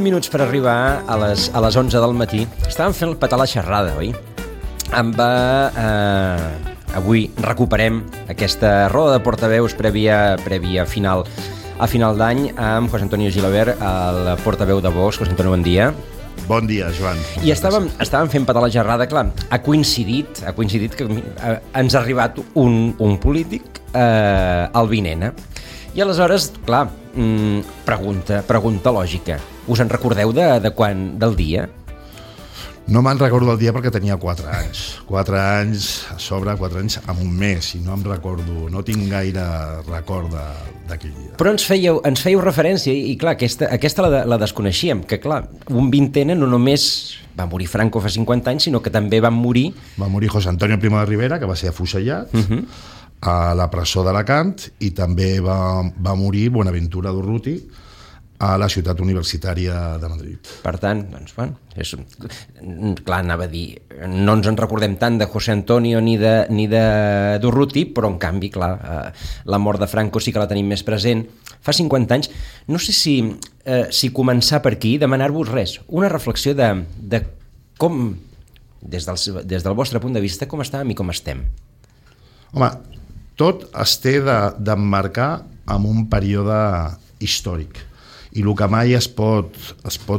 minuts per arribar a les 11 del matí. Estàvem fent el petar la xerrada, oi? Avui recuperem aquesta roda de portaveus prèvia a final d'any amb José Antonio Gilabert, el portaveu de Vox. José Antonio, bon dia. Bon dia, Joan. I estàvem fent petar la xerrada, clar, ha coincidit que ens ha arribat un polític, el Vinena. I aleshores, clar, pregunta lògica. Us en recordeu de quan, del dia? No me'n recordo del dia perquè tenia 4 anys. 4 anys a sobre, 4 anys amb un mes, i no em recordo, no tinc gaire record d'aquell dia. Però ens fèieu referència, i clar, aquesta la desconeixíem, que clar, un vintena no només va morir Franco fa 50 anys, sinó que també va morir... Va morir José Antonio Primo de Rivera, que va ser afusellat a la presó d'Alacant, i també va morir Buenaventura Durruti, a la ciutat universitària de Madrid. Per tant, doncs, bueno, clar, anava a dir, no ens en recordem tant de José Antonio ni de Durruti, però en canvi, clar, la mort de Franco sí que la tenim més present. Fa 50 anys, no sé si començar per aquí, demanar-vos res, una reflexió de com, des del vostre punt de vista, com estàvem i com estem. Home, tot es té d'emmarcar en un període històric. I el que mai es pot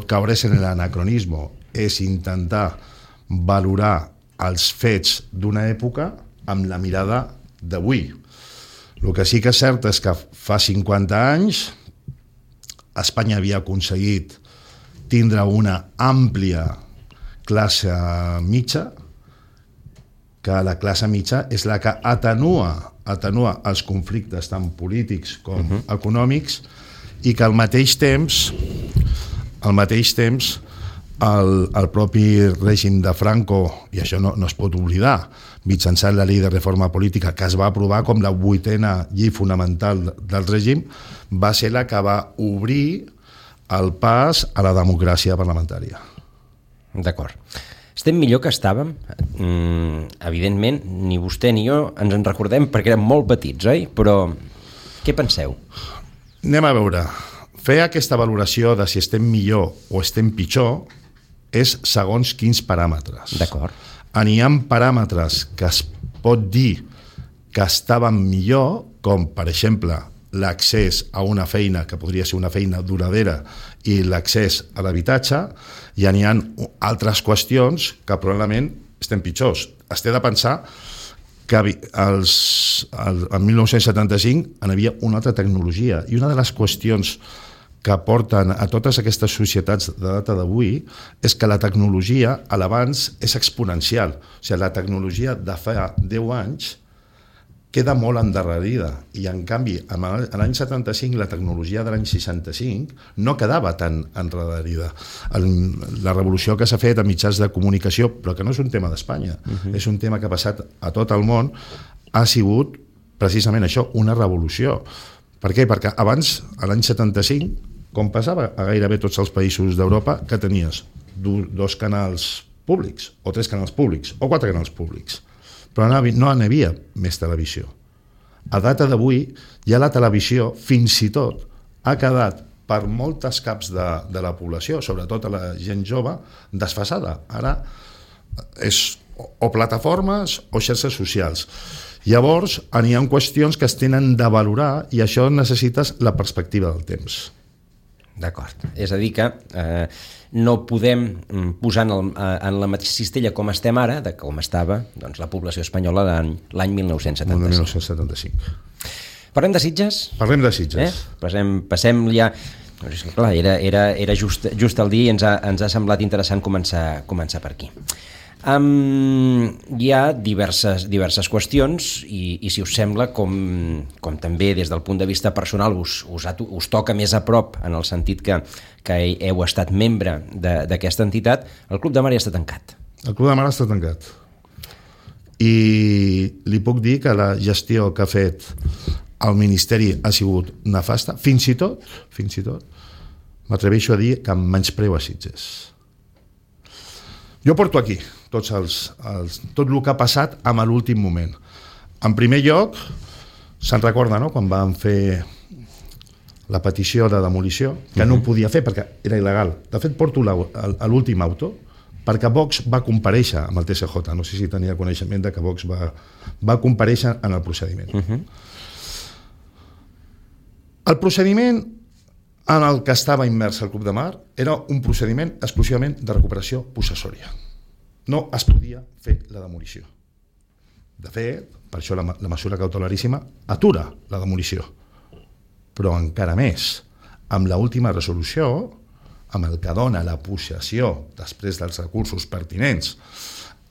caure en l'anacronisme és intentar valorar els fets d'una època amb la mirada d'avui. El que sí que és cert és que fa 50 anys Espanya havia aconseguit tindre una àmplia classe mitja, que la classe mitja és la que atenua els conflictes tant polítics com econòmics, i que al mateix temps el propi règim de Franco, i això no es pot oblidar, mitjançant la llei de reforma política que es va aprovar com la 8a llei fonamental del règim, va ser la que va obrir el pas a la democràcia parlamentària. D'acord. Estem millor que estàvem? Evidentment, ni vostè ni jo ens en recordem perquè érem molt petits, oi? Però què penseu? Anem a veure. Fer aquesta valoració de si estem millor o estem pitjor és segons quins paràmetres. D'acord. N'hi ha paràmetres que es pot dir que estaven millor, com, per exemple, l'accés a una feina que podria ser una feina duradera i l'accés a l'habitatge, i n'hi ha altres qüestions que probablement estem pitjors. Es té de pensar que en 1975 hi havia una altra tecnologia, i una de les qüestions que porten a totes aquestes societats de data d'avui és que la tecnologia a l'abans és exponencial. O sigui, la tecnologia de fa 10 anys queda molt endarrerida, i en canvi a l'any 75 la tecnologia de l'any 65 no quedava tan endarrerida. La revolució que s'ha fet a mitjans de comunicació, però que no és un tema d'Espanya, és un tema que ha passat a tot el món, ha sigut precisament això, una revolució. Per què? Perquè abans, a l'any 75, com passava a gairebé tots els països d'Europa, que tenies 2 canals públics, o 3 canals públics, o 4 canals públics, però no n'hi havia més televisió. A data d'avui, ja la televisió, fins i tot, ha quedat per moltes caps de la població, sobretot a la gent jove, desfasada. Ara és o plataformes o xarxes socials. Llavors, n'hi ha qüestions que es tenen de valorar, i això necessites la perspectiva del temps. D'acord. És a dir que no podem posar en la mateixa cistella com estem ara, de com estava la població espanyola l'any 1975. Parlem de Sitges? Parlem de Sitges. Passem ja... Clar, era just el dia, i ens ha semblat interessant començar per aquí. Hi ha diverses qüestions, i si us sembla, com també des del punt de vista personal us toca més a prop, en el sentit que heu estat membre d'aquesta entitat, el Club de Mar ja està tancat. El Club de Mar està tancat. I li puc dir que la gestió que ha fet el Ministeri ha sigut nefasta, fins i tot, m'atreveixo a dir que em menyspreu a Sitges. Jo porto aquí tot el que ha passat en l'últim moment. En primer lloc, se'n recorda, no?, quan vam fer la petició de demolició, que no ho podia fer perquè era il·legal. De fet, porto l'últim auto, perquè Vox va comparèixer amb el TSJ. No sé si tenia coneixement de que Vox va comparèixer en el procediment. El procediment en el que estava immers el Club de Mar era un procediment exclusivament de recuperació possessòria. No es podia fer la demolició. De fet, per això la mesura cautelaríssima atura la demolició. Però encara més, amb l'última resolució, amb el que dona la possessió després dels recursos pertinents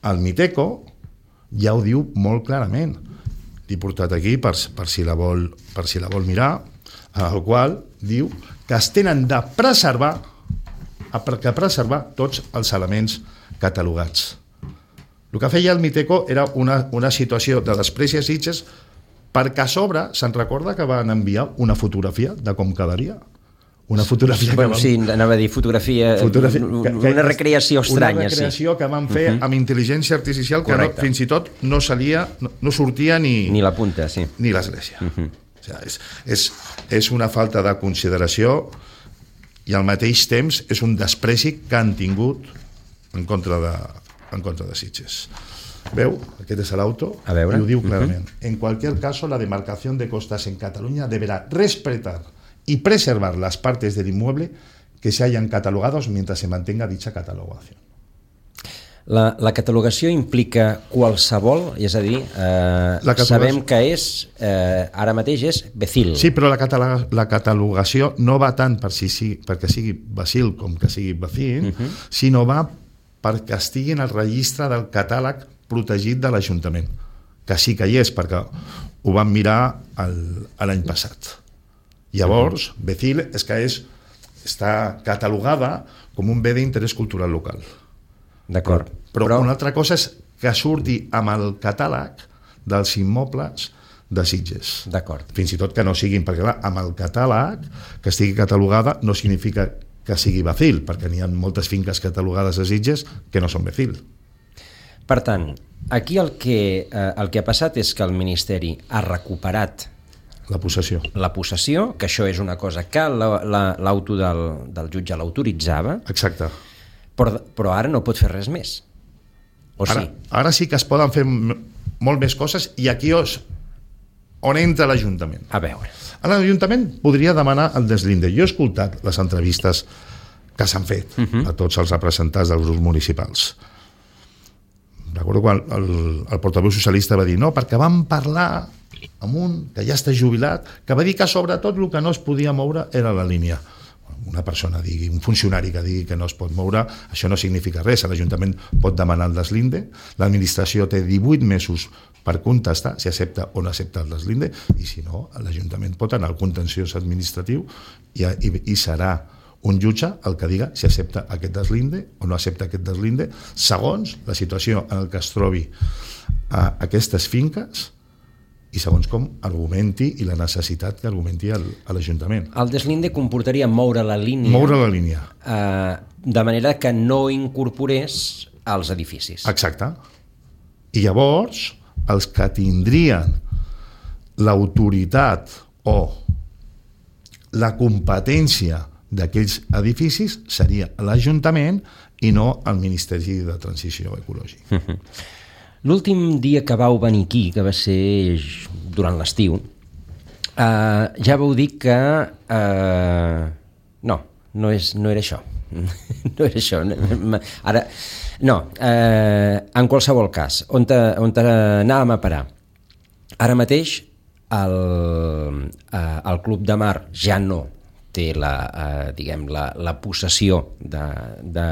al Miteco, ja ho diu molt clarament. L'he portat aquí per si la vol mirar, el qual diu que es tenen de preservar tots els elements catalogats. El que feia el Miteco era una situació de despreci a Sitges, perquè a sobre se'n recorda que van enviar una fotografia de com quedaria. Una fotografia que sí, anava a dir fotografia una recreació estranya. Una recreació que van fer amb intel·ligència artificial que fins i tot no sortia ni la punta, sí. Ni l'església. O sigui, és una falta de consideració i al mateix temps és un despreci que han tingut en contra de Sitges. Veu, aquest és l'auto i ho diu clarament. En cualquier caso, la demarcación de costas en Cataluña deberá respetar y preservar las partes del inmueble que se hayan catalogados mientras se mantenga dicha catalogación. La catalogació implica qualsevol, és a dir, sabem que ara mateix és Becil. Sí, però la catalogació no va tant perquè sigui Becil com que sigui Becil, sinó va perquè estigui en el registre del catàleg protegit de l'Ajuntament, que sí que hi és, perquè ho vam mirar l'any passat. Llavors, Becil és que està catalogada com un bé d'interès cultural local. D'acord. Però una altra cosa és que surti amb el catàleg dels immobles de Sitges. D'acord. Fins i tot que no siguin, perquè clar, amb el catàleg que estigui catalogada no significa que sigui Becil, perquè n'hi ha moltes finques catalogades a Sitges que no són Becil. Per tant, aquí el que ha passat és que el Ministeri ha recuperat la possessió, que això és una cosa que l'auto del jutge l'autoritzava. Exacte. Però ara no pot fer res més. Ara sí que es poden fer molt més coses i aquí on entra l'Ajuntament. A veure. L'Ajuntament podria demanar el deslinde. Jo he escoltat les entrevistes que s'han fet a tots els representants dels grups municipals. Recordo quan el portaveu socialista va dir no, perquè vam parlar amb un que ja està jubilat, que va dir que sobretot el que no es podia moure era la línia. Una persona digui, un funcionari que digui que no es pot moure, això no significa res. L'Ajuntament pot demanar el deslinde, l'administració té 18 mesos per contestar si accepta o no accepta el deslinde, i si no, l'Ajuntament pot anar al contenciós administratiu i serà un jutge el que diga si accepta aquest deslinde o no accepta aquest deslinde, segons la situació en què es trobi aquestes finques i segons com argumenti i la necessitat que argumenti a l'Ajuntament. El deslinde comportaria moure la línia. Moure la línia. De manera que no incorporés als edificis. Exacte. I llavors, els que tindrien l'autoritat o la competència d'aquells edificis seria l'Ajuntament i no el Ministeri de Transició Ecològica. L'últim dia que vau venir aquí, que va ser durant l'estiu, ja vau dir que no era això. No era això. Ara, no, en qualsevol cas, on anàvem a parar? Ara mateix el Club de Mar ja no té la possessió de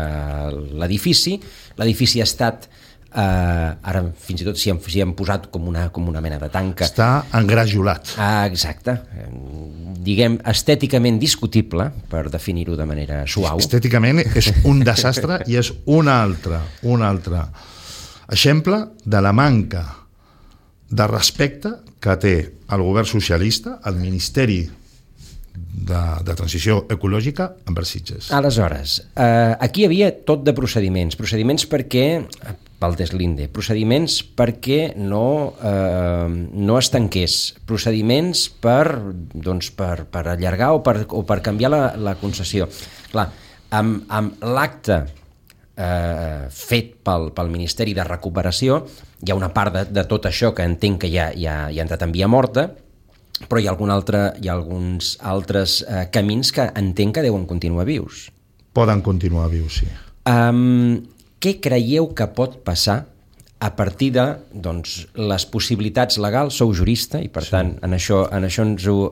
l'edifici. L'edifici ha estat, ara fins i tot s'hi han posat com una mena de tanca. Està engrajolat. Exacte. Diguem, estèticament discutible, per definir-ho de manera suau. Estèticament és un desastre i és un altre exemple de la manca de respecte que té el govern socialista, el Ministeri de Transició Ecològica envers Sitges. Aleshores, aquí hi havia tot de procediments perquè pel deslinde, procediments perquè no es tanqués, procediments per allargar o per canviar la concessió. Clar, amb l'acte fet pel Ministeri de Recuperació hi ha una part de tot això que entenc que ja ha entrat en via morta, però hi ha alguns altres camins que entenc que deuen continuar vius. Poden continuar vius, sí. Què creieu que pot passar a partir de les possibilitats legals? Sou jurista i per tant en això ens ho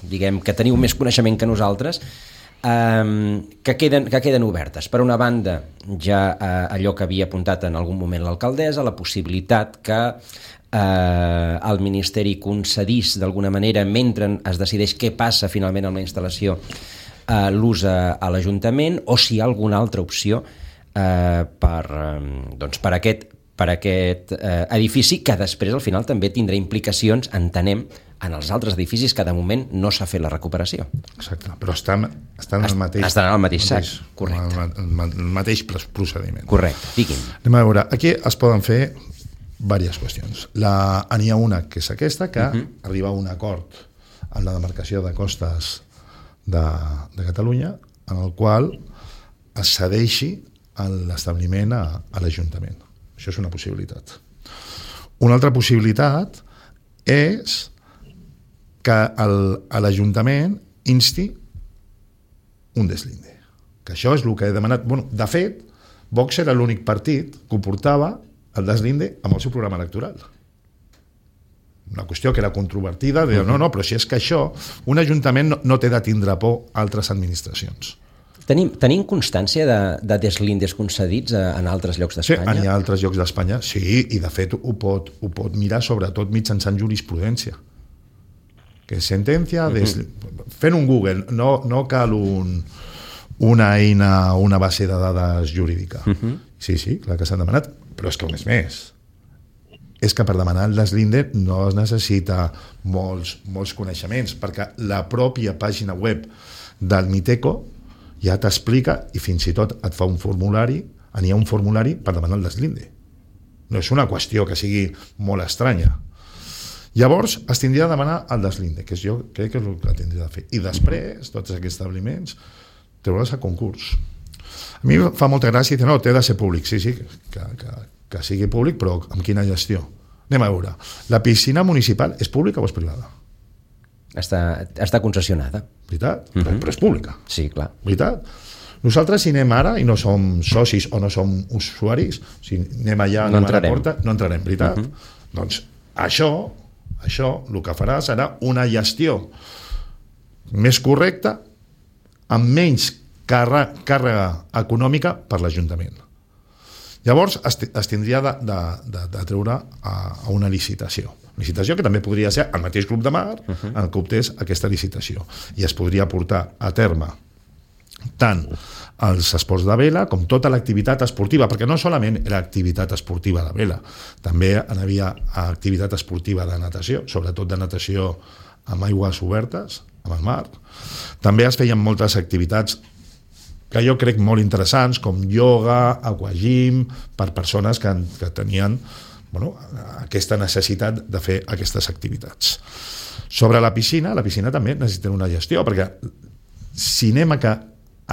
diguem que teniu més coneixement que nosaltres, que queden obertes. Per una banda, ja allò que havia apuntat en algun moment l'alcaldessa, la possibilitat que el Ministeri concedís d'alguna manera, mentre es decideix què passa finalment amb la instal·lació, l'ús a l'Ajuntament, o si hi ha alguna altra opció per aquest edifici, que després al final també tindrà implicacions, entenem, en els altres edificis que de moment no s'ha fet la recuperació. Exacte, però estan al mateix sac, correcte. El mateix procediment. Correcte, digui'm. Anem a veure, aquí es poden fer diverses qüestions. N'hi ha una, que és aquesta, que arriba a un acord amb la demarcació de costes de Catalunya, en el qual es cedeixi l'establiment a l'Ajuntament. Això és una possibilitat. Una altra possibilitat és que l'Ajuntament insti un deslinde. Que això és el que he demanat. Bueno, de fet, Vox era l'únic partit que ho portava el deslinde amb el seu programa electoral. Una qüestió que era controvertida, de no, però si és que això, un Ajuntament no té de tindre por a altres administracions. Tenim constància de deslindes concedits en altres llocs d'Espanya? Sí, en altres llocs d'Espanya, sí, i de fet ho pot mirar sobretot mitjançant jurisprudència. Que és sentència, fent un Google, no cal una eina, una base de dades jurídica. Sí, clar que s'han demanat, però és que un és més. És que per demanar el deslinde no es necessita molts coneixements, perquè la pròpia pàgina web del Miteco ja t'explica i fins i tot et fa un formulari, n'hi ha un formulari per demanar el deslinde. No és una qüestió que sigui molt estranya. Llavors es tindria de demanar el deslinde, que jo crec que és el que tindria de fer. I després, tots aquests establiments, treure's a concurs. A mi fa molta gràcia dir, no, té de ser públic. Sí, que sigui públic, però amb quina gestió? Anem a veure. La piscina municipal és pública o és privada? Està concessionada. Veritat? Però és pública. Sí, clar. Veritat? Nosaltres, si anem ara i no som socis o no som usuaris, si anem allà a la porta, no entrarem, veritat? Doncs això, el que farà serà una gestió més correcta, amb menys càrrega econòmica per l'Ajuntament. Llavors es tindria de treure a una licitació. Licitació que també podria ser el mateix Club de Mar el que optés aquesta licitació. I es podria portar a terme tant els esports de vela com tota l'activitat esportiva, perquè no solament era activitat esportiva de vela, també hi havia activitat esportiva de natació, sobretot de natació amb aigües obertes, amb el mar. També es feien moltes activitats que jo crec molt interessants, com ioga, aquagym, per persones que tenien aquesta necessitat de fer aquestes activitats. Sobre la piscina també necessita una gestió, perquè si anem a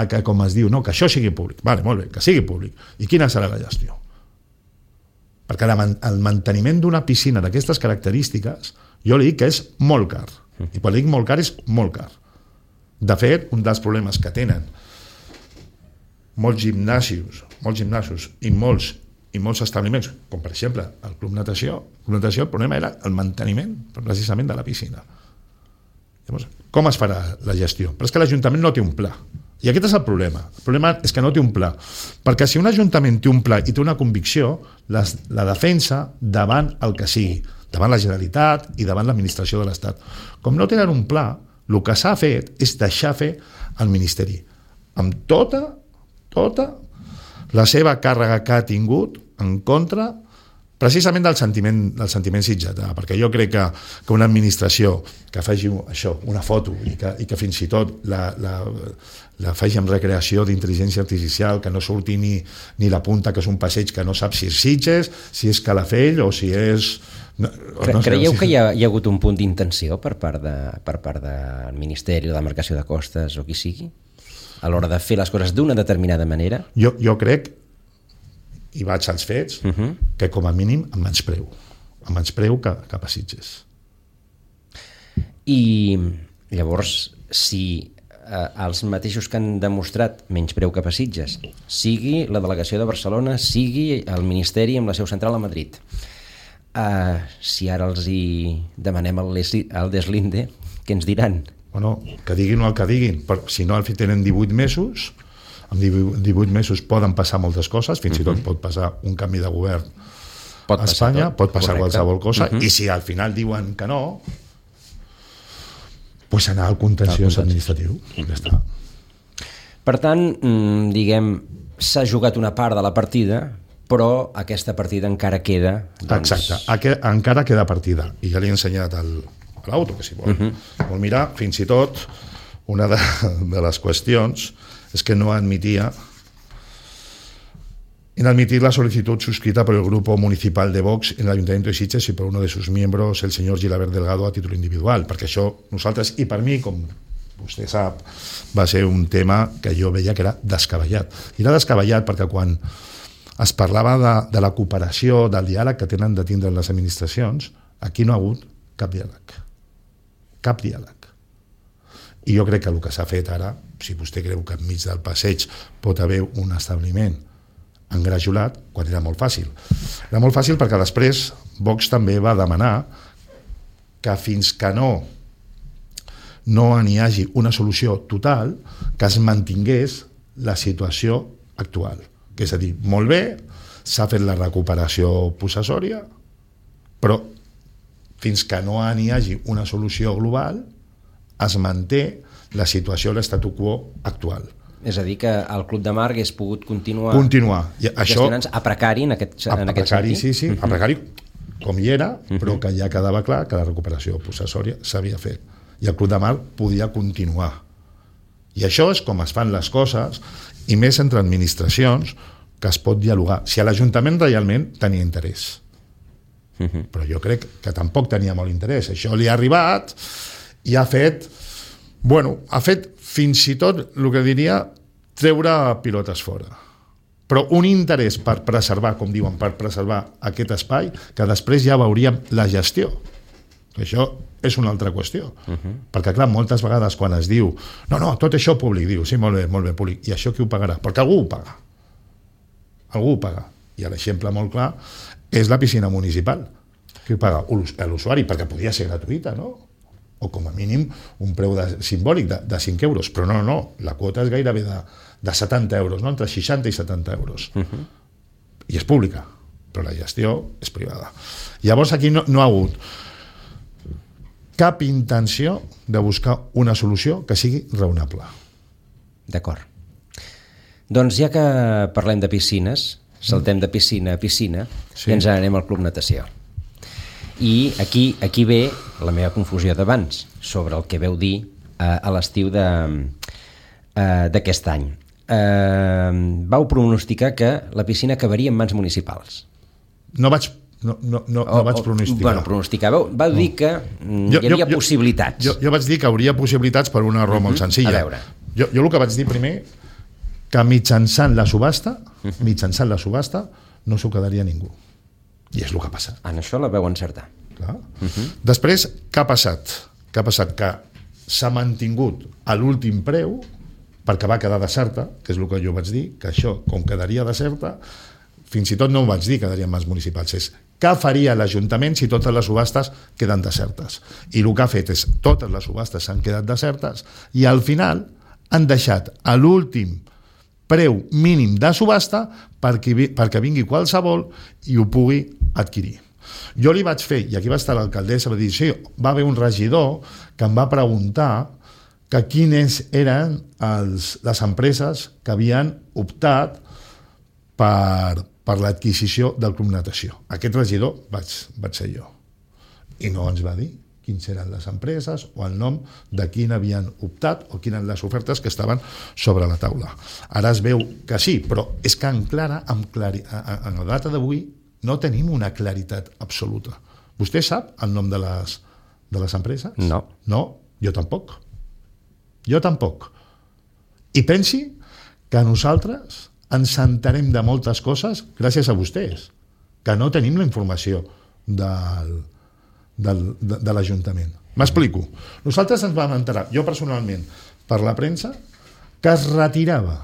que com es diu, que això sigui públic, vale, molt bé, que sigui públic, i quina serà la gestió? Perquè el manteniment d'una piscina d'aquestes característiques, jo li dic que és molt car, i quan dic molt car és molt car. De fet, un dels problemes que tenen molts gimnasos i molts establiments, com per exemple el Club Natació, el problema era el manteniment precisament de la piscina. Llavors, com es farà la gestió? Però és que l'Ajuntament no té un pla. I aquest és el problema. El problema és que no té un pla. Perquè si un Ajuntament té un pla i té una convicció, la defensa davant el que sigui, davant la Generalitat i davant l'administració de l'Estat. Com no tenen un pla, el que s'ha fet és deixar fer el Ministeri. Amb tota la seva càrrega que ha tingut en contra precisament del sentiment sitgetà, perquè jo crec que una administració que faci això, una foto, i que fins i tot la faci amb recreació d'intel·ligència artificial, que no surti ni la punta, que és un passeig que no sap si és Sitges, si és Calafell o si és... Creieu que hi ha hagut un punt d'intenció per part del Ministeri de Demarcació de Costes o qui sigui a l'hora de fer les coses d'una determinada manera? Jo crec, i vaig als fets, que com a mínim em menyspreu cap a Sitges. I llavors, si els mateixos que han demostrat menyspreu cap a Sitges, sigui la delegació de Barcelona, sigui el Ministeri amb la seu central a Madrid, si ara els hi demanem el deslinde, què ens diran? Bueno, que diguin el que diguin, però si no tenen 18 mesos, en 18 mesos poden passar moltes coses, fins i tot pot passar un canvi de govern a Espanya, pot passar qualsevol cosa, i si al final diuen que no, pues anar al contenciós administratiu. Ja està. Per tant, diguem, s'ha jugat una part de la partida, però aquesta partida encara queda... Exacte, encara queda partida. I ja li he ensenyat a l'auto, que si vol mirar, fins i tot, una de les qüestions és que no admitia inadmitir la solicitud suscrita por el grupo municipal de Vox en el Ayuntamiento de Sitges y por uno de sus miembros, el señor Gilabert Delgado, a títol individual, perquè això nosaltres, i per mi, com vostè sap, va ser un tema que jo veia que era descabellat. I era descabellat perquè quan es parlava de la cooperació, del diàleg que tenen de tindre les administracions, aquí no ha hagut cap diàleg. Cap diàleg. I jo crec que el que s'ha fet ara, si vostè creu que enmig del passeig pot haver un establiment engrajolat, quan era molt fàcil. Era molt fàcil perquè després Vox també va demanar que fins que no n'hi hagi una solució total, que es mantingués la situació actual. Que és a dir, molt bé, s'ha fet la recuperació possessòria, però fins que no n'hi hagi una solució global, es manté la situació, l'estatu quo actual. És a dir, que el Club de Mar hagués pogut continuar gestionant-se a precari en aquest sentit? Sí, a precari com hi era, però que ja quedava clar que la recuperació possessòria s'havia fet. I el Club de Mar podia continuar. I això és com es fan les coses, i més entre administracions, que es pot dialogar. Si a l'Ajuntament realment tenia interès. Però jo crec que tampoc tenia molt interès. Això li ha arribat i ha fet fins i tot, el que diria, treure pilotes fora. Però un interès per preservar, com diuen, per preservar aquest espai, que després ja veuríem la gestió. Això és una altra qüestió. Perquè, clar, moltes vegades quan es diu no, tot això públic, diu, sí, molt bé, públic. I això qui ho pagarà? Perquè algú ho paga. Algú ho paga. I l'exemple molt clar és la piscina municipal. Qui ho paga? L'usuari, perquè podia ser gratuïta, no? O com a mínim un preu simbòlic de 5 euros, però no, la quota és gairebé de 70 euros, no? Entre 60 i 70 euros. I és pública, però la gestió és privada. Llavors aquí no ha hagut cap intenció de buscar una solució que sigui raonable. D'acord. Doncs ja que parlem de piscines, saltem de piscina a piscina, i ens anem al Club Natació. I aquí ve la meva confusió d'abans sobre el que veu dir a l'estiu d'aquest any. Vau pronosticar que la piscina acabaria en mans municipals. No vaig pronosticar. Bueno, pronosticar. Vau dir que hi havia possibilitats. Jo vaig dir que hauria possibilitats per una raó molt senzilla. A veure. Jo el que vaig dir primer, que mitjançant la subhasta no s'ho quedaria ningú. I és el que ha passat. En això la veu encertar. Clar. Després, què ha passat? Que s'ha mantingut a l'últim preu perquè va quedar deserta, que és el que jo vaig dir, que això, com quedaria deserta, fins i tot no ho vaig dir que quedaria en mans municipals, és què faria l'Ajuntament si totes les subhastes queden desertes? I el que ha fet és totes les subhastes s'han quedat desertes i al final han deixat a l'últim preu mínim de subhasta perquè vingui qualsevol i ho pugui adquirir. Jo li vaig fer, i aquí va estar l'alcaldessa, va dir, sí, va haver un regidor que em va preguntar que quines eren les empreses que havien optat per per l'adquisició del Club Natació. Aquest regidor vaig ser jo. I no ens va dir quins eren les empreses o el nom de quin havien optat o quines les ofertes que estaven sobre la taula. Ara es veu que sí, però és que en la data d'avui no tenim una claritat absoluta. Vostè sap el nom de les empreses? No. No, jo tampoc. Jo tampoc. I pensi que nosaltres ens entenem de moltes coses gràcies a vostès, que no tenim la informació de l'Ajuntament. M'explico. Nosaltres ens vam enterar, jo personalment, per la premsa, que es retirava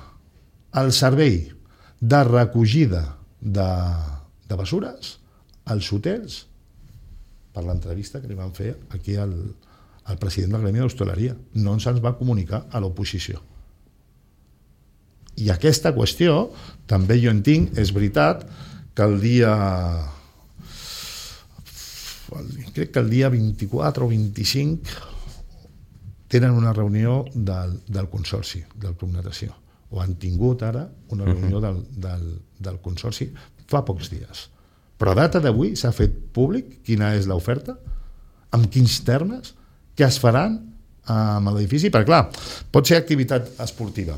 el servei de recollida de bessures als hotels per l'entrevista que li van fer aquí al president del Gremi d'Hostaleria. No se'ns va comunicar a l'oposició. I aquesta qüestió, també jo entenc, és veritat que crec que el dia 24 o 25 tenen una reunió del Consorci, del Club Natació. O han tingut ara una reunió del Consorci fa pocs dies. Però a data d'avui s'ha fet públic quina és l'oferta, amb quins termes, què es faran amb l'edifici, perquè clar, pot ser activitat esportiva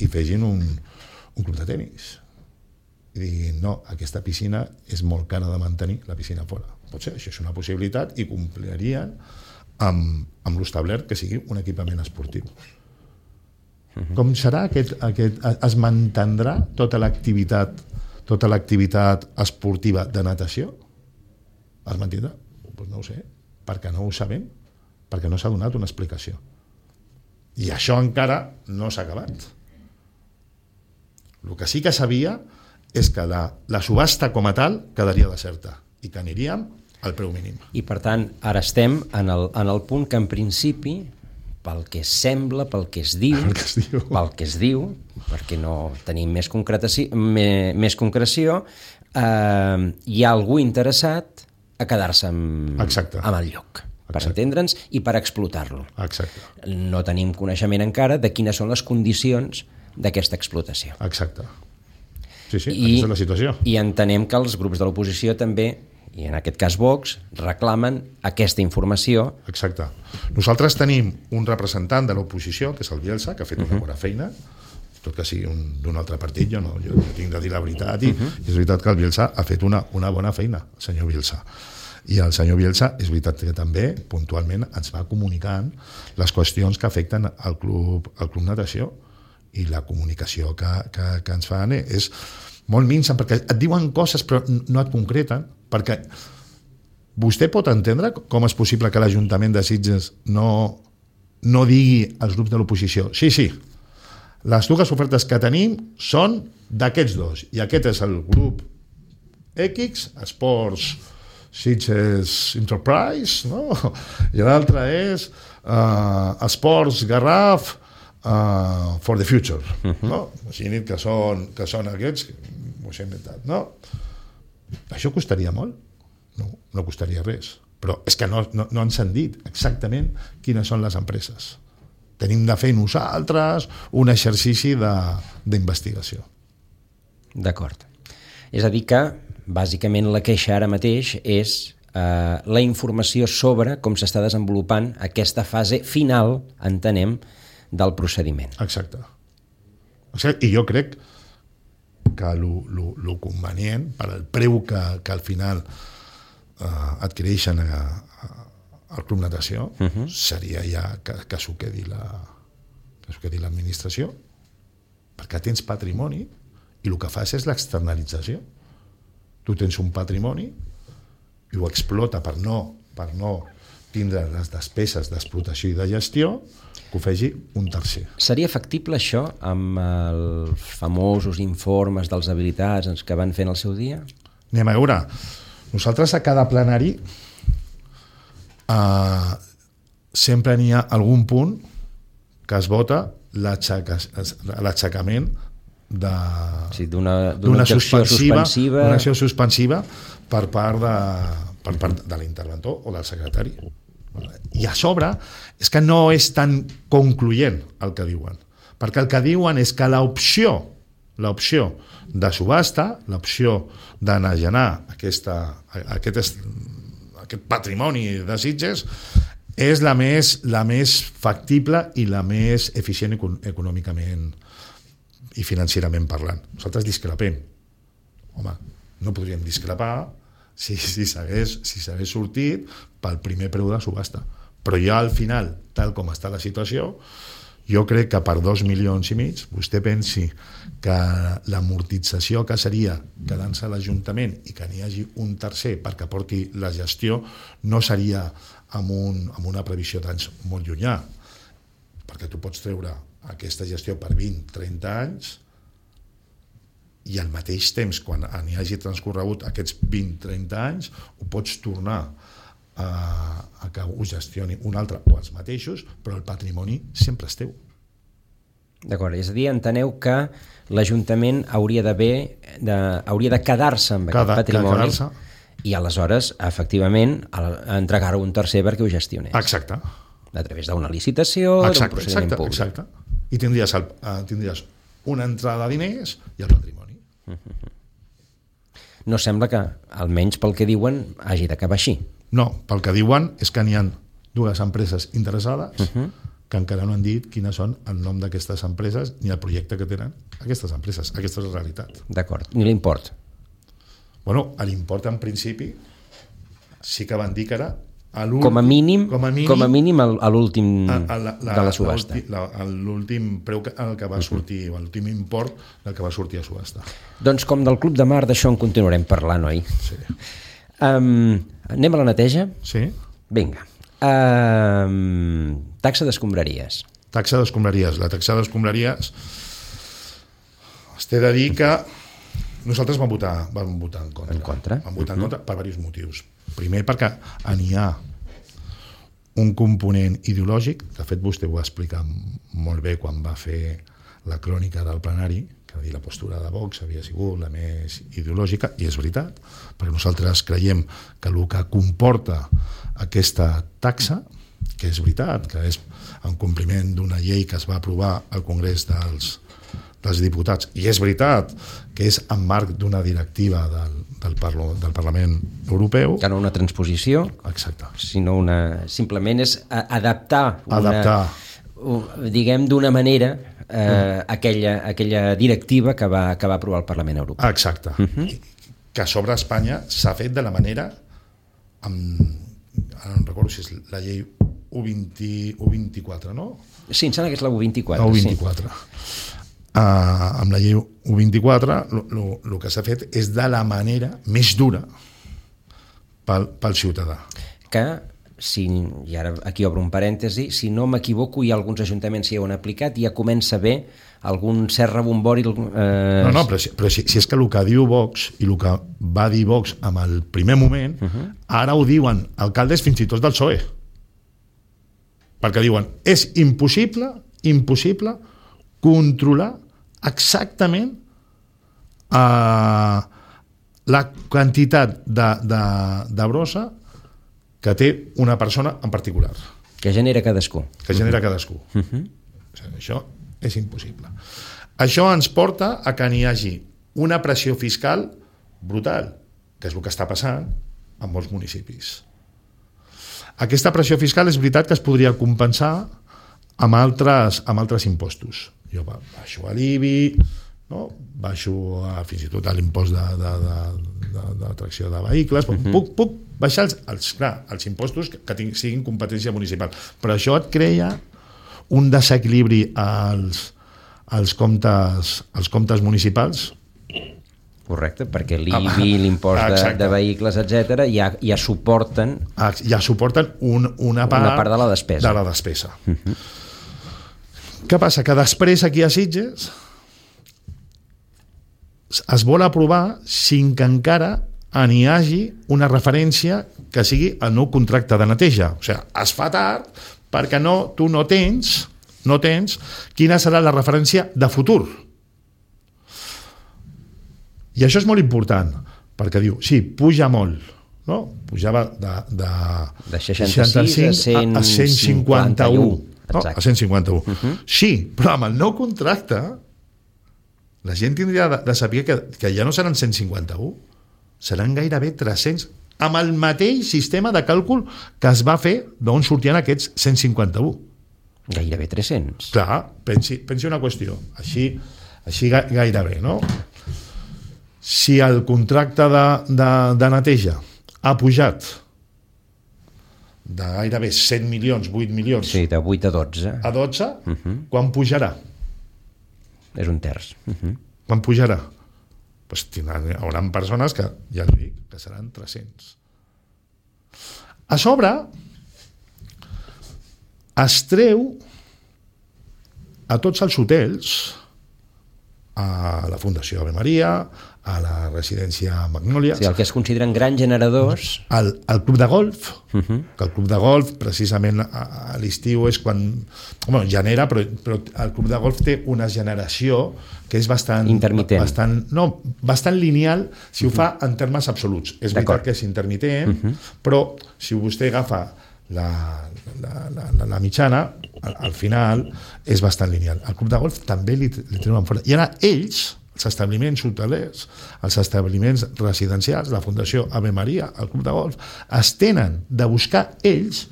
i fegin un club de tenis i diguin, no, aquesta piscina és molt cara de mantenir, la piscina fora. Pot ser, això és una possibilitat i complirien amb l'establert que sigui un equipament esportiu. Com serà es mantindrà tota l'activitat esportiva de natació? Es mantindrà? Doncs no ho sé, perquè no ho sabem, perquè no s'ha donat una explicació. I això encara no s'ha acabat. El que sí que sabia és que la subhasta com a tal quedaria deserta i que aniríem al preu mínim. I per tant, ara estem en el punt que en principi, pel que sembla, pel que es diu, perquè no tenim més concreció, hi ha algú interessat a quedar-se amb el lloc, per entendre'ns i per explotar-lo. Exacte. No tenim coneixement encara de quines són les condicions d'aquesta explotació. Exacte. Sí, aquesta és la situació. I entenem que els grups de l'oposició també, i en aquest cas Vox, reclamen aquesta informació. Exacte. Nosaltres tenim un representant de l'oposició, que és el Bielsa, que ha fet una bona feina, tot que sigui d'un altre partit, jo tinc de dir la veritat, i és veritat que el Bielsa ha fet una bona feina, el senyor Bielsa. I el senyor Bielsa, és veritat que també, puntualment, ens va comunicant les qüestions que afecten al Club Natació, i la comunicació que ens fan és molt minsa, perquè et diuen coses però no et concreten, perquè vostè pot entendre com és possible que l'Ajuntament de Sitges no digui als grups de l'oposició sí, les dues ofertes que tenim són d'aquests dos, i aquest és el grup X, Esports Sitges Enterprise, no? I l'altre és Esports Garraf for the future, no? Imagina't que són aquests, ho he inventat, no? Això costaria molt? No costaria res, però és que no ens han dit exactament quines són les empreses. Tenim de fer nosaltres un exercici d'investigació. D'acord. És a dir que, bàsicament, la queixa ara mateix és la informació sobre com s'està desenvolupant aquesta fase final, entenem, del procediment. Exacte. I jo crec que el convenient per al preu que al final adquireixen al Club Natació seria ja que s'ho quedi l'administració, perquè tens patrimoni i el que fas és l'externalització. Tu tens un patrimoni i ho explota per no tindre les despeses d'explotació i de gestió, que ho faci un tercer. Seria factible això amb els famosos informes dels habilitats que van fer en el seu dia? Anem a veure. Nosaltres a cada plenari sempre n'hi ha algun punt que es vota l'aixecament d'una acció suspensiva per part de l'interventor o del secretari. I a sobre és que no és tan concloent el que diuen, perquè el que diuen és que l'opció l'opció de subhasta, l'opció d'enagenar aquest patrimoni de Sitges, és la més factible i la més eficient econòmicament i financerament parlant. Nosaltres discrepem. Home, no podríem discrepar si s'hagués sortit pel primer preu de subhasta. Però ja al final, tal com està la situació, jo crec que per 2,5 milions vostè pensi que l'amortització que seria quedant-se a l'Ajuntament i que n'hi hagi un tercer perquè porti la gestió no seria amb una previsió d'anys molt llunyà, perquè tu pots treure aquesta gestió per 20-30 anys i al mateix temps, quan n'hi hagi transcorregut aquests 20-30 anys, ho pots tornar a que ho gestioni un altre o els mateixos, però el patrimoni sempre és teu. D'acord, és a dir, enteneu que l'Ajuntament hauria de quedar-se amb aquest patrimoni i aleshores, efectivament, entregar-ho a un tercer perquè ho gestionés. Exacte. A través d'una licitació, d'un procediment públic. Exacte. I tindries una entrada de diners i el patrimoni. No sembla que, almenys pel que diuen, hagi d'acabar així. No, pel que diuen és que n'hi ha 2 empreses interessades que encara no han dit quines són el nom d'aquestes empreses ni el projecte que tenen aquestes empreses. Aquesta és la realitat. D'acord. Ni l'import? Bueno, l'import en principi sí que van dir que era l'últim... Com a mínim a l'últim de la subhasta. L'últim preu al que va sortir, l'últim import del que va sortir a subhasta. Doncs com del Club de Mar, d'això en continuarem parlant, oi? Sí. Anem a la neteja? Sí. Vinga. Taxa d'escombraries. Taxa d'escombraries. La taxa d'escombraries t'he de dir que nosaltres vam votar en contra. Vam votar en contra per diversos motius. Primer perquè n'hi ha un component ideològic, de fet vostè ho va explicar molt bé quan va fer la crònica del plenari, que la postura de Vox havia sigut la més ideològica, i és veritat, perquè nosaltres creiem que el que comporta aquesta taxa, que és veritat, que és en compliment d'una llei que es va aprovar al Congrés dels diputats, i és veritat que és en marc d'una directiva del Parlament Europeu. Que no una transposició, exacte, sinó simplement és adaptar diguem d'una manera aquella directiva que va aprovar el Parlament Europeu. Exacte. Que sobre Espanya s'ha fet de la manera ara no recordo si és la llei U24, no? Sí, em sembla que és la U24. La U24. Amb la llei U24 el que s'ha fet és de la manera més dura pel ciutadà. Que, i ara aquí obro un parèntesi, si no m'equivoco, hi ha alguns ajuntaments que hi ho han aplicat i ja comença a haver algun cert rebombori... No, però si és que el que diu Vox i el que va dir Vox en el primer moment, ara ho diuen alcaldes fins i tot del PSOE. Perquè diuen, és impossible controlar exactament la quantitat de brossa que té una persona en particular. Que genera cadascú. Això és impossible. Això ens porta a que n'hi hagi una pressió fiscal brutal, que és el que està passant en molts municipis. Aquesta pressió fiscal és veritat que es podria compensar amb altres impostos. Jo baixo a l'IBI, no? Baixo fins i tot a l'impost d'atracció de vehicles, puc baixar els impostos que siguin competència municipal, però això et crea un desequilibri als comptes municipals. Correcte, perquè l'IBI, l'impost de vehicles, etc., ja suporten una part de la despesa. De la despesa. Què passa? Que després aquí a Sitges es vol aprovar sin que encara n'hi hagi una referència que sigui el nou contracte de neteja. O sigui, es fa tard perquè tu no tens quina serà la referència de futur. I això és molt important, perquè diu, sí, puja molt, no? Pujava de 65 a 151. No, a 151. Sí, però amb el nou contracte la gent tindria de saber que ja no seran 151, seran gairebé 300, amb el mateix sistema de càlcul que es va fer d'on sortien aquests 151. Gairebé 300. Clar, pensi una qüestió, així gairebé, no? Si el contracte de neteja ha pujat de gairebé 100 milions, 8 milions... Sí, de 8 a 12. A 12, quan pujarà? És un terç. Quan pujarà? Pues haurà persones que, ja li dic, que seran 300. A sobre, es treu a tots els hotels, a la Fundació Ave Maria, a la residència Magnòlia... Sí, el que es consideren grans generadors... El club de golf, que el club de golf, precisament a l'estiu és quan... Bueno, genera, però el club de golf té una generació que és bastant... Intermitent. Bastant lineal, si ho fa en termes absoluts. És veritat que és intermitent, però si vostè agafa la mitjana, al final és bastant lineal. El club de golf també li treuen fora. I ara ells, els establiments hotelers, els establiments residencials, la Fundació Ave Maria, el club de golf, es tenen de buscar ells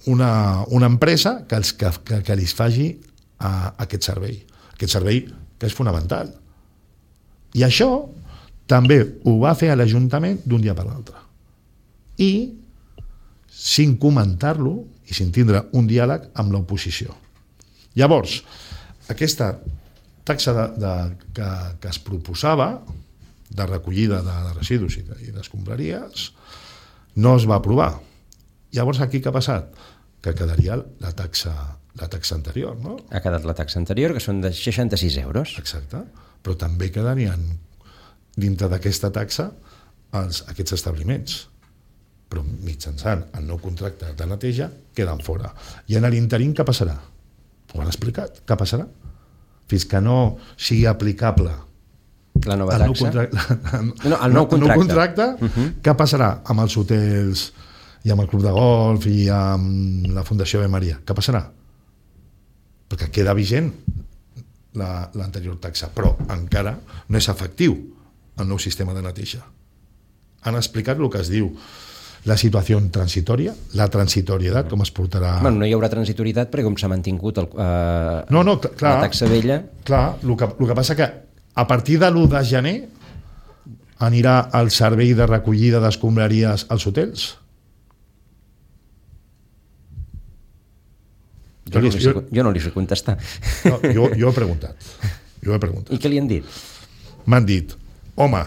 una empresa que li faci aquest servei que és fonamental. I això també ho va fer a l'Ajuntament d'un dia per l'altre. I sin comentar-lo i sin tindre un diàleg amb l'oposició. Llavors, aquesta taxa que es proposava de recollida de residus i d'escombraries no es va aprovar. Llavors aquí què ha passat? Que quedaria la taxa anterior, no? Ha quedat la taxa anterior, que són de 66 euros. Exacte, però també quedarien dintre d'aquesta taxa aquests establiments, però mitjançant el nou contracte de neteja queden fora. I en l'interim què passarà? Ho han explicat, què passarà? Fins que no sigui aplicable la nova taxa? El nou contracte. Què passarà amb els hotels i amb el club de golf i amb la Fundació Ave Maria? Què passarà? Perquè queda vigent l'anterior taxa, però encara no és efectiu el nou sistema de neteja. Han explicat el que es diu la situació transitòria, la transitorietat, com es portarà... Bueno, no hi haurà transitorietat perquè com s'ha mantingut clar, la taxa vella... Clar, el que passa que a partir de l'1 de gener anirà el servei de recollida d'escombraries als hotels? Jo no li sé contestar. No, jo he preguntat. I què li han dit? M'han dit, home,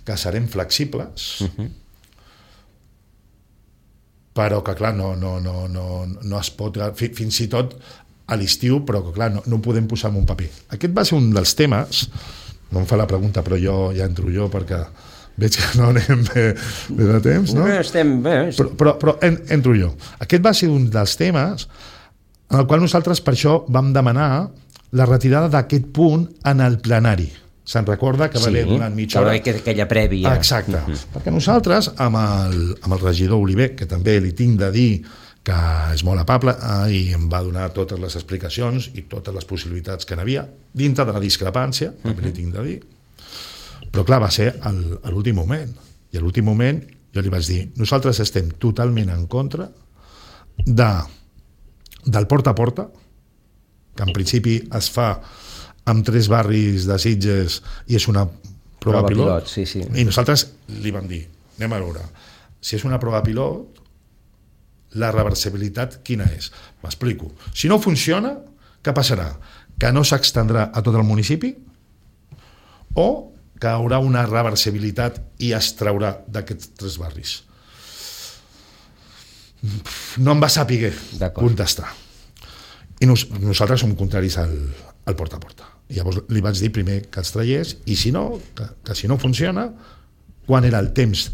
que serem flexibles, però que clar, no es pot, fins i tot a l'estiu, però que clar, no podem posar en un paper. Aquest va ser un dels temes, no em fa la pregunta, però ja entro jo perquè veig que no anem bé de temps, no? Estem bé. Però entro jo. Aquest va ser un dels temes en el qual nosaltres per això vam demanar la retirada d'aquest punt en el plenari. Se'n recorda que va haver donat mitja hora? Sí, aquella prèvia. Exacte. Perquè nosaltres, amb el regidor Oliver, que també li tinc de dir que és molt amable i em va donar totes les explicacions i totes les possibilitats que n'havia, dintre de la discrepància, també li tinc de dir. Però clar, va ser a l'últim moment. I a l'últim moment jo li vaig dir, nosaltres estem totalment en contra del porta a porta, que en principi es fa amb 3 barris de Sitges i és una prova pilot. Sí. I nosaltres li vam dir, anem a veure, si és una prova pilot, la reversibilitat quina és? M'explico. Si no funciona, què passarà? Que no s'extendrà a tot el municipi o que haurà una reversibilitat i es traurà d'aquests 3 barris? No em va saber contestar. I nosaltres som contraris al porta a porta. Llavors li vaig dir primer que els traiés i si no, que si no funciona, quan era el temps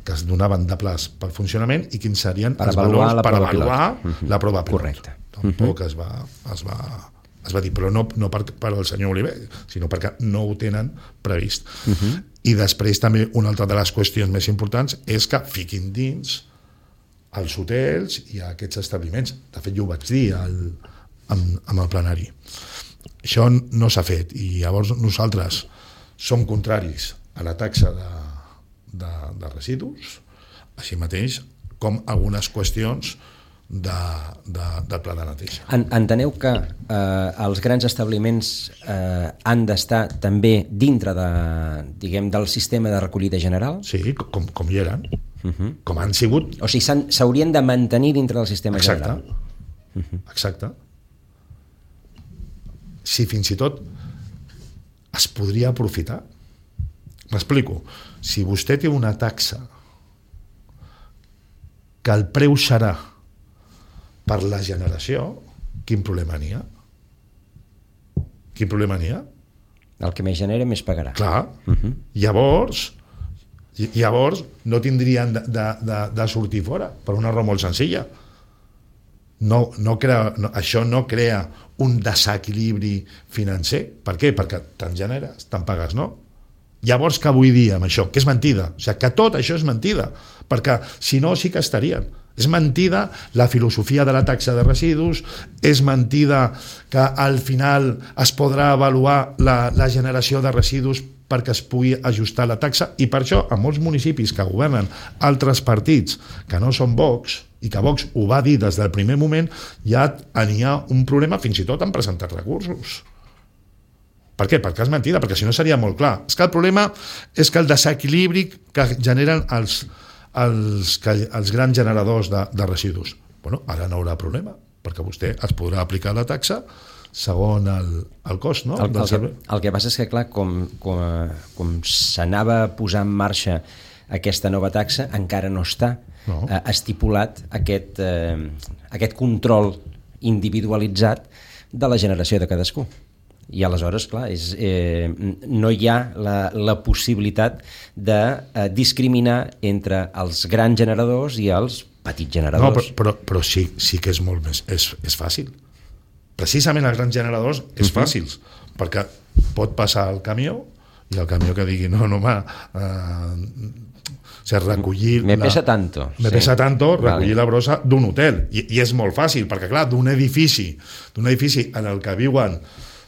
que es donaven de plaç pel funcionament i quins serien els valors per avaluar la prova pilot. Correcte. Tampoc es va dir, però no per al senyor Oliver, sinó perquè no ho tenen previst. I després també una altra de les qüestions més importants és que fiquin dins els hotels i aquests establiments. De fet, jo ho vaig dir amb el plenari. Això no s'ha fet i llavors nosaltres som contraris a la taxa de residus, així mateix com algunes qüestions del pla de neteja. Enteneu que els grans establiments han d'estar també dintre del sistema de recollida general? Sí, com hi eren, com han sigut. O sigui, s'haurien de mantenir dintre del sistema general. Exacte. Si fins i tot es podria aprofitar. M'explico. Si vostè té una taxa que el preu serà per la generació, quin problema n'hi ha? Quin problema n'hi ha? El que més genera, més pagarà. Clar. Llavors no tindrien de sortir fora, per una raó molt senzilla. Això no crea un desequilibri financer. Per què? Perquè tant generes, tant pagues, no? Llavors, què vull dir amb això? Que és mentida. O sigui, que tot això és mentida, perquè si no sí que estarien. És mentida la filosofia de la taxa de residus, és mentida que al final es podrà avaluar la generació de residus perquè es pugui ajustar la taxa, i per això a molts municipis que governen altres partits que no són Vox, i que Vox ho va dir des del primer moment, ja n'hi ha un problema, fins i tot han presentat recursos. Per què? Perquè és mentida, perquè si no seria molt clar. És que el problema és que el desequilibri que generen els grans generadors de residus, ara no haurà problema, perquè vostè es podrà aplicar la taxa segons el cost, no? El que passa és que, clar, com s'anava a posar en marxa aquesta nova taxa, encara no està estipulat aquest control individualitzat de la generació de cadascú. I aleshores, clar, no hi ha la possibilitat de discriminar entre els grans generadors i els petits generadors. No, però sí que és molt més... És fàcil. Precisament els grans generadors és fàcil, perquè pot passar el camió i el camió que digui recollir... Me pesa tanto, recollir la brossa d'un hotel. I és molt fàcil, perquè clar, d'un edifici en el que viuen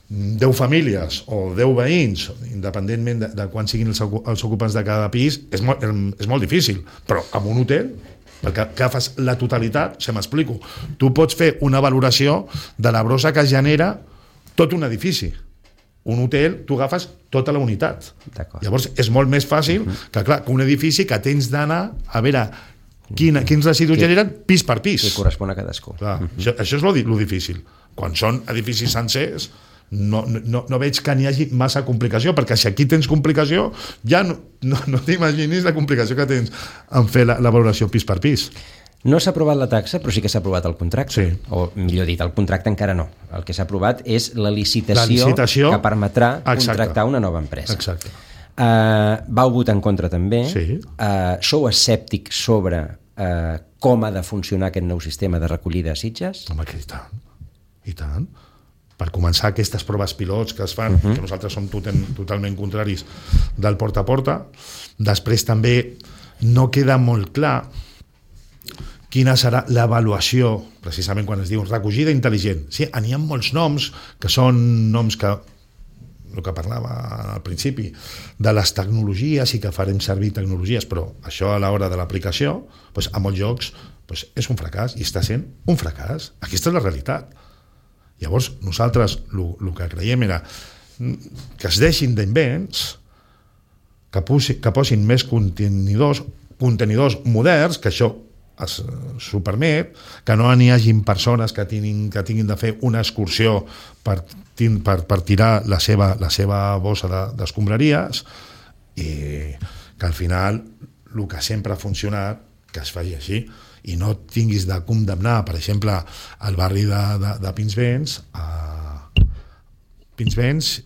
10 famílies o 10 veïns, independentment de quan siguin els ocupants de cada pis, és molt difícil. Però amb un hotel, perquè agafes la totalitat, m'explico, tu pots fer una valoració de la brossa que genera tot un edifici. Un hotel, tu agafes tota la unitat. Llavors és molt més fàcil que un edifici que tens d'anar a veure quins residus generen pis per pis. Que correspon a cadascú. Això és lo difícil. Quan són edificis sencers, no veig que n'hi hagi massa complicació, perquè si aquí tens complicació ja no t'imaginis la complicació que tens en fer la valoració pis per pis. No s'ha aprovat la taxa, però sí que s'ha aprovat el contracte. Sí. O millor dit, el contracte encara no. El que s'ha aprovat és la licitació que permetrà contractar una nova empresa. Exacte. Vau votar en contra també. Sí. Sou escèptics sobre com ha de funcionar aquest nou sistema de recollida a Sitges? Home, que i tant. Per començar, aquestes proves pilots que es fan, que nosaltres som totalment contraris del porta a porta. Després també no queda molt clar quina serà l'avaluació, precisament quan es diu recollida intel·ligent. Sí, n'hi ha molts noms que són noms que, el que parlava al principi, de les tecnologies i que farem servir tecnologies, però això a l'hora de l'aplicació, a molts llocs és un fracàs, i està sent un fracàs. Aquesta és la realitat. Llavors, nosaltres el que creiem era que es deixin d'invents, que posin més contenidors moderns, que això s'ho permet, que no n'hi hagin persones que tinguin de fer una excursió per tirar la seva bossa d'escombraries, i que al final el que sempre ha funcionat, que es faci així, i no tinguis de condemnar, per exemple, el barri de Pinsbens. Pinsbens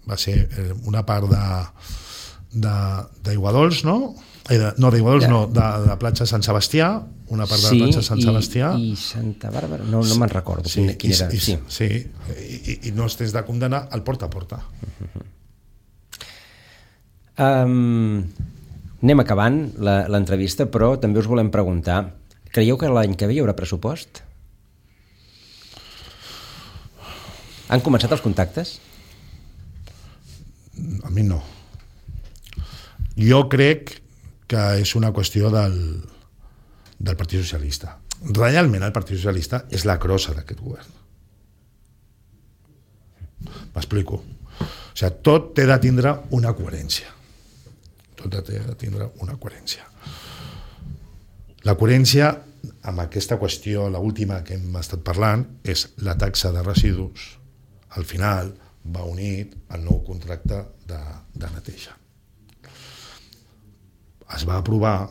va ser una part d'Aiguadols, no? D'Aiguadols no, de platja Sant Sebastià, una part de la platja Sant Sebastià. I Santa Bàrbara, no me'n recordo quin era. Sí, i no es tens de condemnar el porta a porta. Anem acabant l'entrevista, però també us volem preguntar, creieu que l'any que ve hi haurà pressupost? Han començat els contactes? A mi no. Jo crec que és una qüestió del Partit Socialista. Realment el Partit Socialista és la crossa d'aquest govern. M'explico. O sigui, tot té de tindre una coherència. Tot té de tindre una coherència. La coherència amb aquesta qüestió, l'última que hem estat parlant, és la taxa de residus. Al final va unit al nou contracte de neteja. Es va aprovar,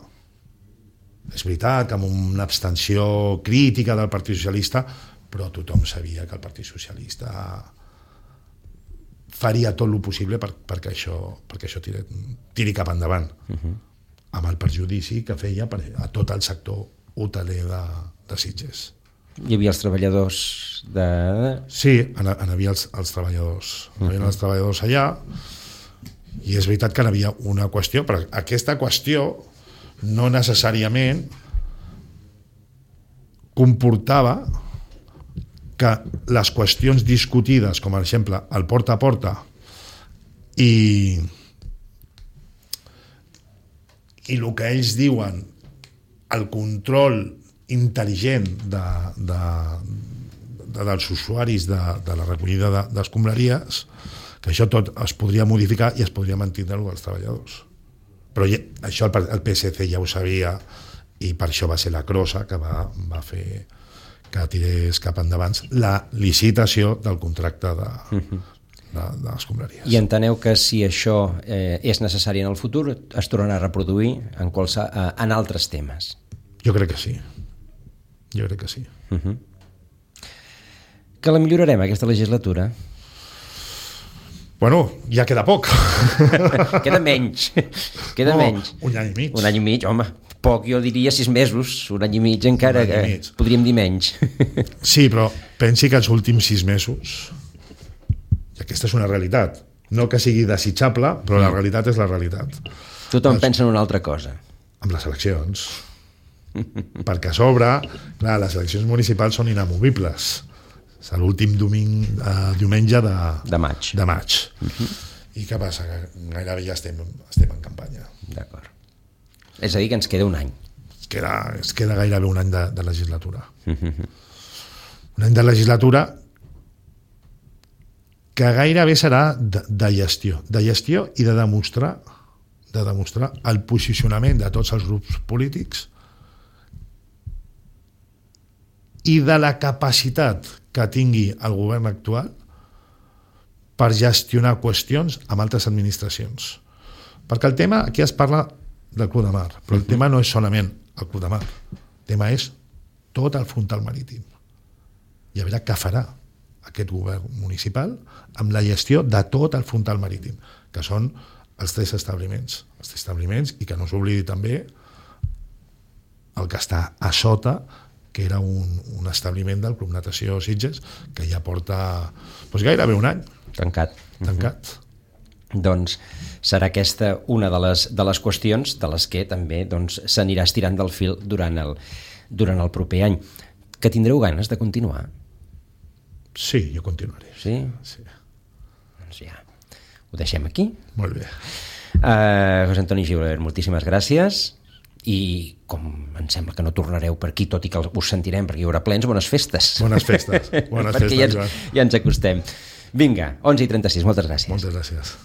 és veritat que amb una abstenció crítica del Partit Socialista, però tothom sabia que el Partit Socialista faria tot el possible perquè això tiri cap endavant, amb el perjudici que feia a tot el sector hoteler de Sitges. Hi havia els treballadors de... Sí, hi havia els treballadors. Hi havia els treballadors allà, i és veritat que hi havia una qüestió, però aquesta qüestió no necessàriament comportava que les qüestions discutides, com per exemple el porta a porta i el que ells diuen el control intel·ligent dels usuaris de la recollida d'escombraries, que això tot es podria modificar i es podria mantindre els treballadors. Però això el PSC ja ho sabia, i per això va ser la crossa que va fer que tirés cap endavant la licitació del contracte d'escombraries. I enteneu que si això és necessari en el futur, es tornarà a reproduir en altres temes? Jo crec que sí. Que la millorarem, aquesta legislatura? Bueno, ja queda poc. Queda menys. Menys. Un any i mig. Un any i mig, home. Poc, jo diria 6 mesos. Un any i mig encara, podríem dir menys. Sí, però pensi que els últims 6 mesos, i aquesta és una realitat, no que sigui desitjable, però la realitat és la realitat. Tothom pensa en una altra cosa. Amb les eleccions. Perquè a sobre, clar, les eleccions municipals són inamovibles. És l'últim diumenge de maig. I què passa? Que gairebé ja estem en campanya. D'acord. És a dir, que ens queda un any. Es queda gairebé un any de legislatura. Un any de legislatura que gairebé serà de gestió i de demostrar el posicionament de tots els grups polítics i de la capacitat que tingui el govern actual per gestionar qüestions amb altres administracions. Perquè el tema, aquí es parla del Club de Mar, però el tema no és solament el Club de Mar, el tema és tot el frontal marítim. I a veure què farà aquest govern municipal amb la gestió de tot el frontal marítim, que són els 3 establiments, i que no s'oblidi també el que està a sota, que era un establiment del Club Natació Sitges, que ja porta gairebé un any. Tancat. Doncs serà aquesta una de les qüestions de les que també s'anirà estirant del fil durant el proper any. Que tindreu ganes de continuar? Sí, jo continuaré. Sí? Doncs ja, ho deixem aquí. Molt bé. José Antoni Gibert, moltíssimes gràcies. I com em sembla que no tornareu per aquí, tot i que us sentirem perquè hi haurà plens, bones festes. Bones festes, perquè ja ens acostem. Vinga, 11:36, moltes gràcies. Moltes gràcies.